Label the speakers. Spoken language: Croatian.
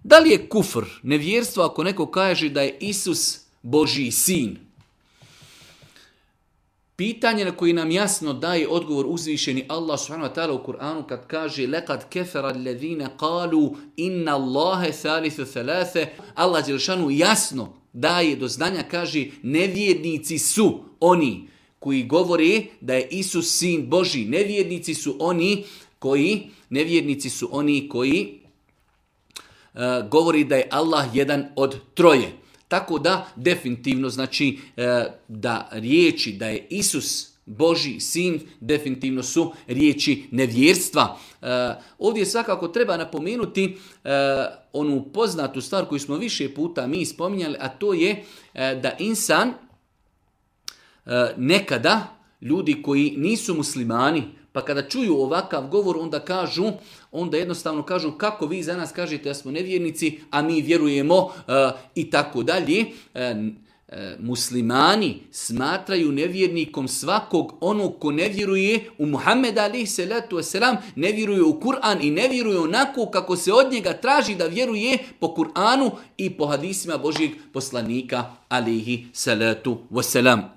Speaker 1: Da li je kufr, nevjerstvo, ako neko kaže da je Isus Božji sin? Pitanje na koji nam jasno daje odgovor uzvišeni Allah subhanahu wa ta'ala u Kur'anu kad kaže لَقَدْ كَفَرَ الَّذِينَ قَالُوا إِنَّ اللَّهَ ثَالِثُ ثَلَاثَ. Allah dželešanu jasno daje do znanja, kaže nevjernici su oni koji govore da je Isus sin Božji. Nevjernici su oni koji govori da je Allah jedan od troje. Tako da definitivno znači da riječi da je Isus Božji sin definitivno su riječi nevjerstva. Ovdje svakako treba napomenuti onu poznatu stvar koju smo više puta mi spominjali, a to je da insan nekada, ljudi koji nisu muslimani, pa kada čuju ovakav govor, onda jednostavno kažu kako vi za nas kažete da smo nevjernici, a mi vjerujemo i tako dalje. Muslimani smatraju nevjernikom svakog onog ko ne vjeruje u Muhammeda alejhi salatu vesselam, ne vjeruje u Kur'an i ne vjeruje onako kako se od njega traži da vjeruje po Kur'anu i po hadisima Božjeg poslanika alejhi salatu vesselam.